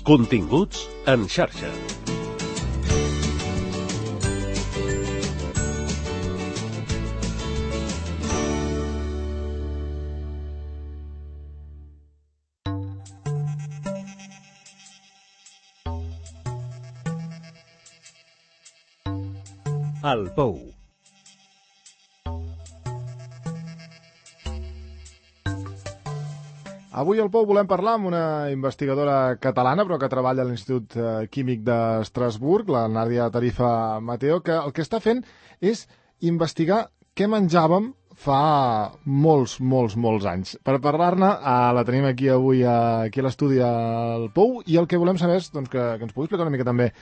Continguts en xarxa. El Pou. Avui al Pou volem parlar amb una investigadora catalana, però que treballa a l'Institut Químic d'Estrasburg, la Nàdia Tarifa Mateo, que el que està fent és investigar què menjàvem fa molts anys. Per parlar-ne, la tenim aquí avui aquí a l'estudi al Pou, i el que volem saber és doncs, que ens pugui explicar una mica també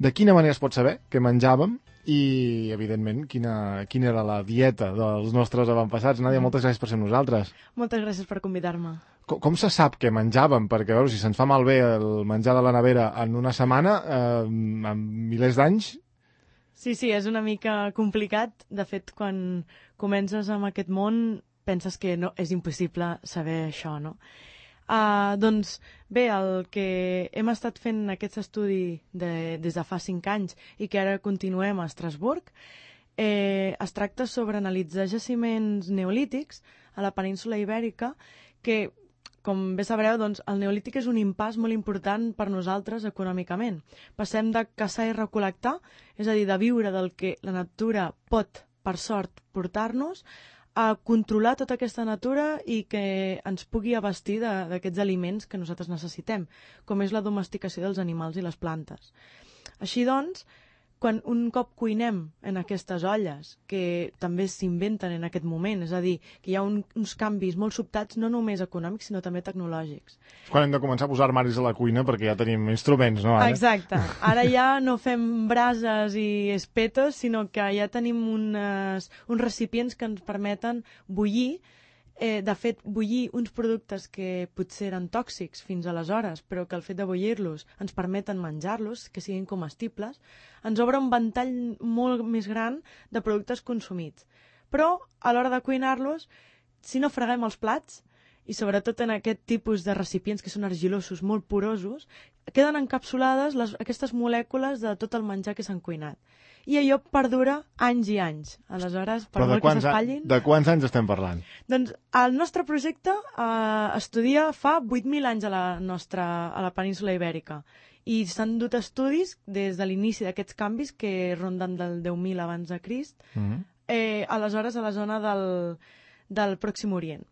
de quina manera es pot saber què menjàvem i, evidentment, quina era la dieta dels nostres avantpassats. Nàdia, moltes gràcies per ser amb nosaltres. Moltes gràcies per convidar-me. Com se sap què menjàvem? Perquè, veure, si se'ns fa malbé el menjar de la nevera en una setmana, en milers d'anys... Sí, és una mica complicat. De fet, quan comences amb aquest món, penses que no, és impossible saber això, no? Doncs bé, el que hem estat fent aquest estudi des de fa 5 anys i que ara continuem a Estrasburg, es tracta sobre analitzar jaciments neolítics a la península Ibèrica, que, com bé sabreu, doncs, el neolític és un impàs molt important per nosaltres econòmicament. Passem de caçar i recol·lectar, és a dir, de viure del que la natura pot, per sort, portar-nos, a controlar tota aquesta natura i que ens pugui abastir d'aquests aliments que nosaltres necessitem, com és la domesticació dels animals i les plantes. Així doncs, quan un cop cuinem en aquestes olles, que també s'inventen en aquest moment, és a dir, que hi ha uns canvis molt sobtats, no només econòmics, sinó també tecnològics. Quan hem de començar a posar armaris a la cuina, perquè ja tenim instruments, no? Ara? Exacte. Ara ja no fem brases i espetos, sinó que ja tenim uns recipients que ens permeten bullir. De fet, bullir uns productes que potser eren tòxics fins aleshores, però que el fet de bullir-los ens permeten menjar-los, que siguin comestibles, ens obre un ventall molt més gran de productes consumits. Però, a l'hora de cuinar-los, si no freguem els plats, i sobretot en aquest tipus de recipients que són argilosos, molt porosos, queden encapsulades aquestes molècules de tot el menjar que s'han cuinat. I allò perdura anys i anys. Aleshores, per molt que s'espatllin... De quants anys estem parlant? Doncs el nostre projecte estudia fa 8.000 anys a la península Ibèrica. I s'han dut estudis des de l'inici d'aquests canvis, que ronden del 10.000 abans de Crist, aleshores a la zona del Pròxim Orient.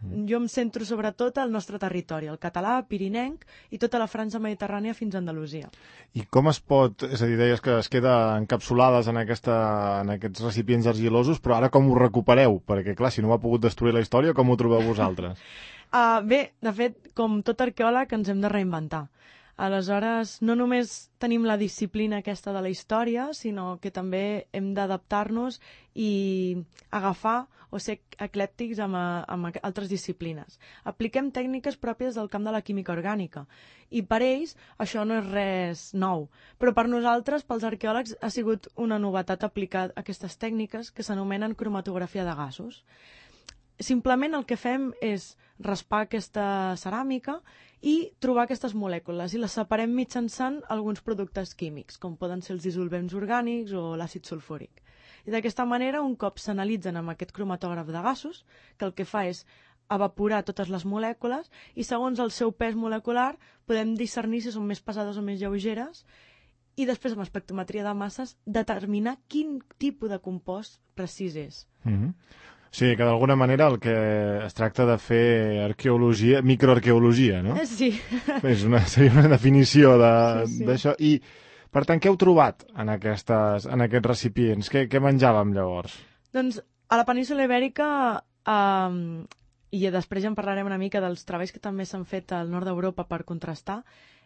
Jo em centro sobretot al nostre territori, el català, pirinenc i tota la franja mediterrània fins a Andalusia. I com es pot, és a dir, deies que es queda encapsulades en aquests recipients argilosos, però ara com ho recupereu? Perquè, clar, si no ho ha pogut destruir la història, com ho trobeu vosaltres? Bé, de fet, com tot arqueòleg ens hem de reinventar. Aleshores, no només tenim la disciplina aquesta de la història, sinó que també hem d'adaptar-nos i agafar o ser eclèptics amb altres disciplines. Apliquem tècniques pròpies del camp de la química orgànica i per ells això no és res nou, però per nosaltres, pels arqueòlegs, ha sigut una novetat aplicar aquestes tècniques que s'anomenen cromatografia de gasos. Simplement el que fem és raspar aquesta ceràmica i trobar aquestes molècules i les separem mitjançant alguns productes químics, com poden ser els dissolvents orgànics o l'àcid sulfúric. I d'aquesta manera, un cop s'analitzen amb aquest cromatògraf de gasos, que el que fa és evaporar totes les molècules i segons el seu pes molecular podem discernir si són més pesades o més lleugeres i després amb espectrometria de masses determinar quin tipus de compost precís és. Sí, que d'alguna manera el que es tracta de fer arqueologia, microarqueologia, no? Sí. Seria una definició d'això. I, per tant, què heu trobat en aquests recipients? Què menjàvem llavors? Doncs a la península Ibèrica, i després ja en parlarem una mica dels treballs que també s'han fet al nord d'Europa per contrastar,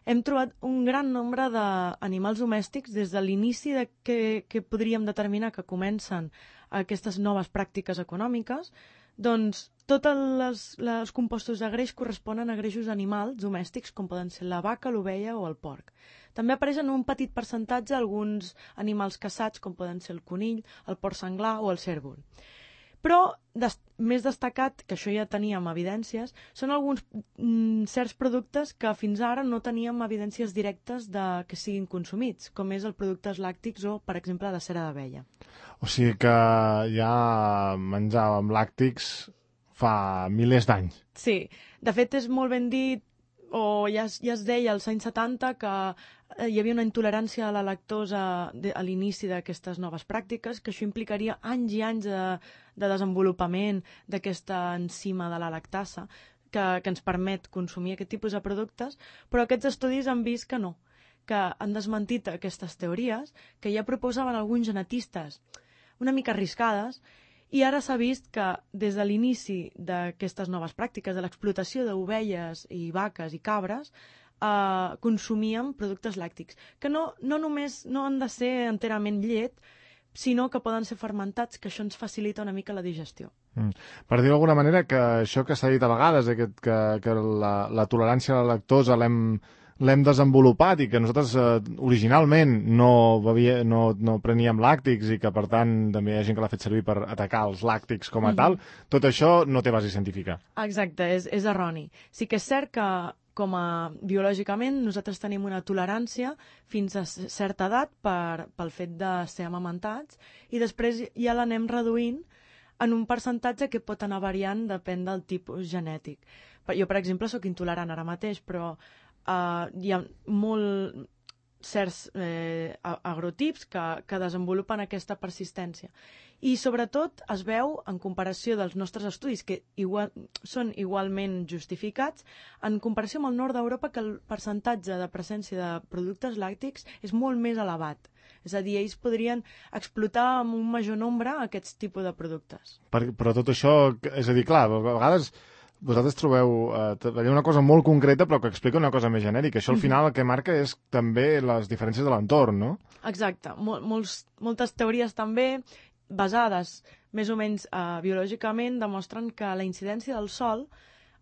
hem trobat un gran nombre d'animals domèstics des de l'inici que podríem determinar que comencen aquestes noves pràctiques econòmiques, doncs tots els compostos de greix corresponen a greixos animals domèstics, com poden ser la vaca, l'ovella o el porc. També apareixen un petit percentatge alguns animals caçats, com poden ser el conill, el porc senglar o el cérvol. Però més destacat, que això ja teníem evidències, són alguns certs productes que fins ara no teníem evidències directes de que siguin consumits, com és el productes làctics o, per exemple, la cera d'abella. O sigui que ja menjàvem làctics fa milers d'anys. Sí, de fet és molt ben dit, o ja es deia als anys 70 que hi havia una intolerància a la lactosa a l'inici d'aquestes noves pràctiques, que això implicaria anys i anys de desenvolupament d'aquesta enzima de la lactasa que ens permet consumir aquest tipus de productes, però aquests estudis han vist que no, que han desmentit aquestes teories que ja proposaven alguns genetistes una mica arriscades, i ara s'ha vist que des de l'inici d'aquestes noves pràctiques, de l'explotació d'ovelles i vaques i cabres, consumíem productes làctics, que no només no han de ser enterament llet, sinó que poden ser fermentats, que això ens facilita una mica la digestió. Per dir d'alguna manera que això que s'ha dit a vegades, que la tolerància a la lactosa l'hem desenvolupat i que nosaltres originalment no preníem làctics i que per tant també hi ha gent que l'ha fet servir per atacar els làctics com a tal, tot això no té base científica. Exacte, és erroni. Sí que és cert que biològicament nosaltres tenim una tolerància fins a certa edat pel fet de ser amamentats i després ja l'anem reduint en un percentatge que pot anar variant depèn del tipus genètic. Jo, per exemple, sóc intolerant ara mateix, però hi ha certs agrotips que desenvolupen aquesta persistència. I sobretot es veu, en comparació dels nostres estudis, que són igualment justificats, en comparació amb el nord d'Europa, que el percentatge de presència de productes làctics és molt més elevat. És a dir, ells podrien explotar amb un major nombre aquests tipus de productes. Però tot això, és a dir, clar, a vegades vosaltres trobeu una cosa molt concreta però que explica una cosa més genèrica. Això al final el que marca és també les diferències de l'entorn, no? Exacte. Moltes teories també basades més o menys biològicament demostren que la incidència del sol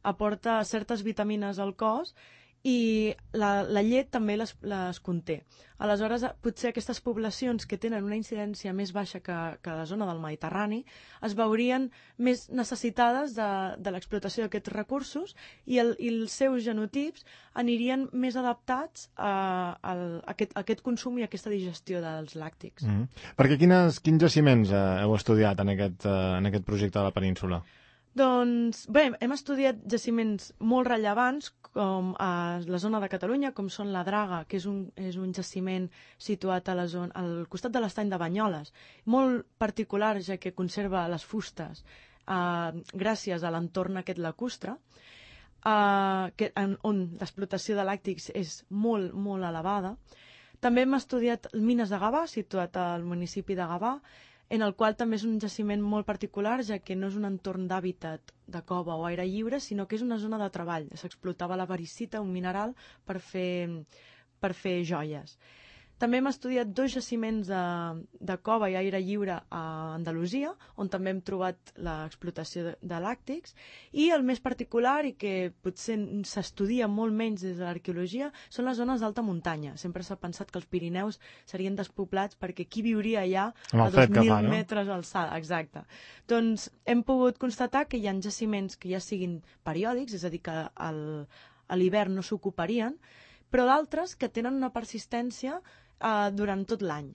aporta certes vitamines al cos i la llet també les conté. Aleshores, potser aquestes poblacions que tenen una incidència més baixa que la zona del Mediterrani es veurien més necessitades de l'explotació d'aquests recursos i els seus genotips anirien més adaptats a aquest consum i a aquesta digestió dels làctics. Perquè quins jaciments heu estudiat en aquest projecte de la península? Doncs bé, hem estudiat jaciments molt rellevants com a la zona de Catalunya, com són la Draga, que és un jaciment situat al costat de l'estany de Banyoles, molt particular ja que conserva les fustes gràcies a l'entorn aquest lacustre, on l'explotació de làctics és molt, molt elevada. També hem estudiat mines de Gavà, situat al municipi de Gavà, en el qual també és un jaciment molt particular, ja que no és un entorn d'hàbitat de cova o aire lliure, sinó que és una zona de treball. S'explotava la variscita, un mineral, per fer joies. També hem estudiat 2 jaciments de cova i aire lliure a Andalusia, on també hem trobat l'explotació de làctics, i el més particular, i que potser s'estudia molt menys des de l'arqueologia, són les zones d'alta muntanya. Sempre s'ha pensat que els Pirineus serien despoblats perquè qui viuria allà a 2.000 metres d'alçada. Exacte. Doncs hem pogut constatar que hi ha jaciments que ja siguin periòdics, és a dir, que a l'hivern no s'ocuparien, però d'altres que tenen una persistència durant tot l'any.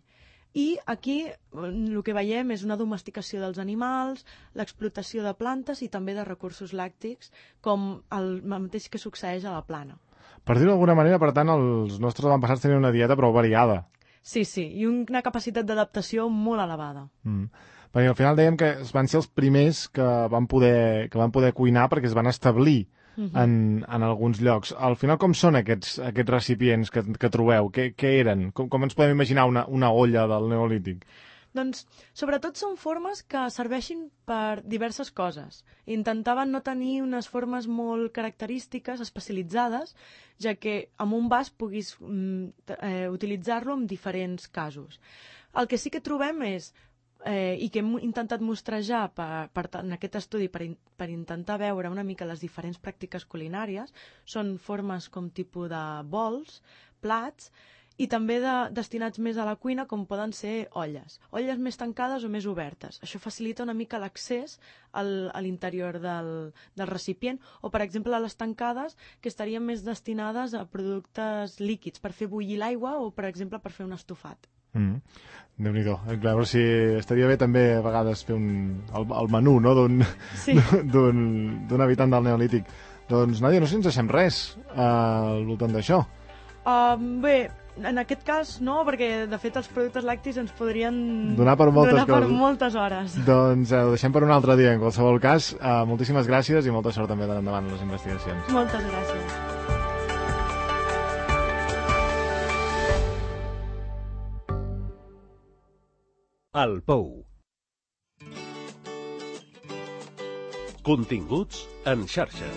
I aquí el que veiem és una domesticació dels animals, l'explotació de plantes i també de recursos làctics, com el mateix que succeeix a la plana. Per dir-ho d'alguna manera, per tant, els nostres avantpassats tenien una dieta prou variada. Sí, i una capacitat d'adaptació molt elevada. Perquè al final dèiem que van ser els primers que van poder cuinar perquè es van establir en alguns llocs. Al final, com són aquests recipients que trobeu? Què eren? Com ens podem imaginar una olla del Neolític? Doncs, sobretot són formes que serveixin per diverses coses. Intentaven no tenir unes formes molt característiques, especialitzades, ja que amb un vas puguis utilitzar-lo en diferents casos. El que sí que trobem és i que hem intentat mostrejar en aquest estudi per intentar veure una mica les diferents pràctiques culinàries, són formes com tipus de bols, plats, i també destinats més a la cuina, com poden ser olles. Olles més tancades o més obertes. Això facilita una mica l'accés a l'interior del recipient, o, per exemple, les tancades, que estarien més destinades a productes líquids, per fer bullir l'aigua o, per exemple, per fer un estofat. Déu-n'hi-do. A veure si estaria bé també a vegades fer el menú, no? Sí. d'un habitant del Neolític. Doncs, Nàdia, no sé si ens deixem res al voltant d'això. Bé, en aquest cas no, perquè de fet els productes làctics ens podrien donar per moltes hores. Doncs ho deixem per un altre dia. En qualsevol cas, moltíssimes gràcies i molta sort també endavant en les investigacions. Moltes gràcies. El Pou. Continguts en xarxa.